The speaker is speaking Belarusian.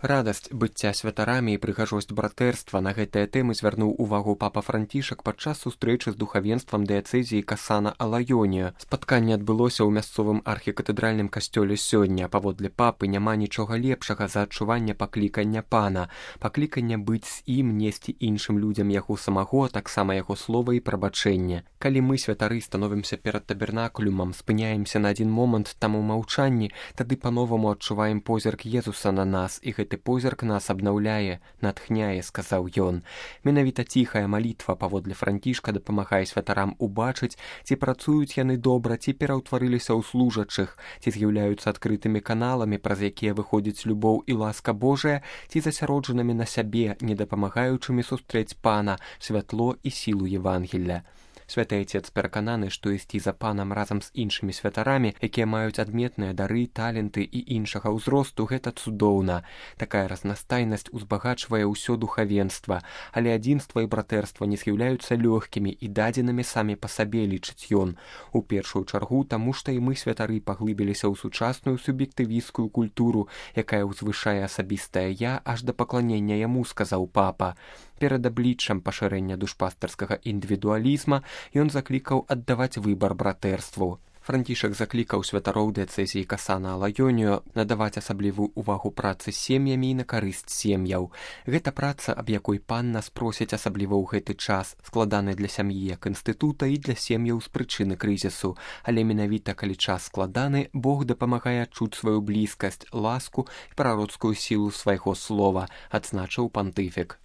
Радасць быцця святарамі і прыгажосць братэрства на гэтыя тэмы звярнуў увагу папа Францішак падчас сустрэчы з духавенствам дыяцэзіі Касана-Алайоніа. Спатканне адбылося ў мясцовым архікатэдральным касцёле сёння. Паводле папы няма нічога лепшага за адчуванне паклікання пана, паклікання быць з ім, несці іншым людзям яго самого, таксама яго слова і прабачэнне. Калі мы, святары, становімся перад табернакулюмам, спыняемся на адзін момант там у маўчанні, тады па-новаму адчуваем позірк Езуса на нас, і гэты позірк нас абнаўляе, натхняе, сказаў ён. Менавіта ціхая малітва паводле Францішка дапамагае святарам убачыць, ці працуюць яны добра, ці пераўтварыліся ў служачых, ці з'яўляюцца адкрытымі каналамі, праз якія выходзіць любоў і ласка Божая, ці засяроджанымі на сябе, не дапамагаючымі сустрэць пана, святло і сілу Евангелля. Святы Айцец перакананы, што ісці за панам разам з іншымі святарамі, якія маюць адметныя дары, таленты і іншага ўзросту, гэта цудоўна. Такая разнастайнасць узбагачвае ўсё духавенства, але адзінства і братэрства не з'яўляюцца лёгкімі і дадзенымі самі па сабе, лічыць ён. У першую чаргу, таму што і мы, святары, паглыбіліся ў сучасную суб'ектывісцкую культуру, якая ўзвышае асабістае я аж да пакланення яму, сказаў папа. Перад абліччам пашырэння душпастарскага індывідуалізма ён заклікаў аддаваць выбар братэрству. Францішак заклікаў святароў дыяцэзіі Касана-Алайоніа надаваць асаблівую увагу працы з сем'ямі і на карысць сем'яў. Гэта праца, аб якой пан нас просіць асабліва ў гэты час, складаны для сям'і як інстытута і для сем'яў з прычыны крызісу. Але менавіта калі час складаны, Бог дапамагае адчуць сваю блізкасць, ласку і прароцкую сілу свайго слова, адзначыў пантыфік.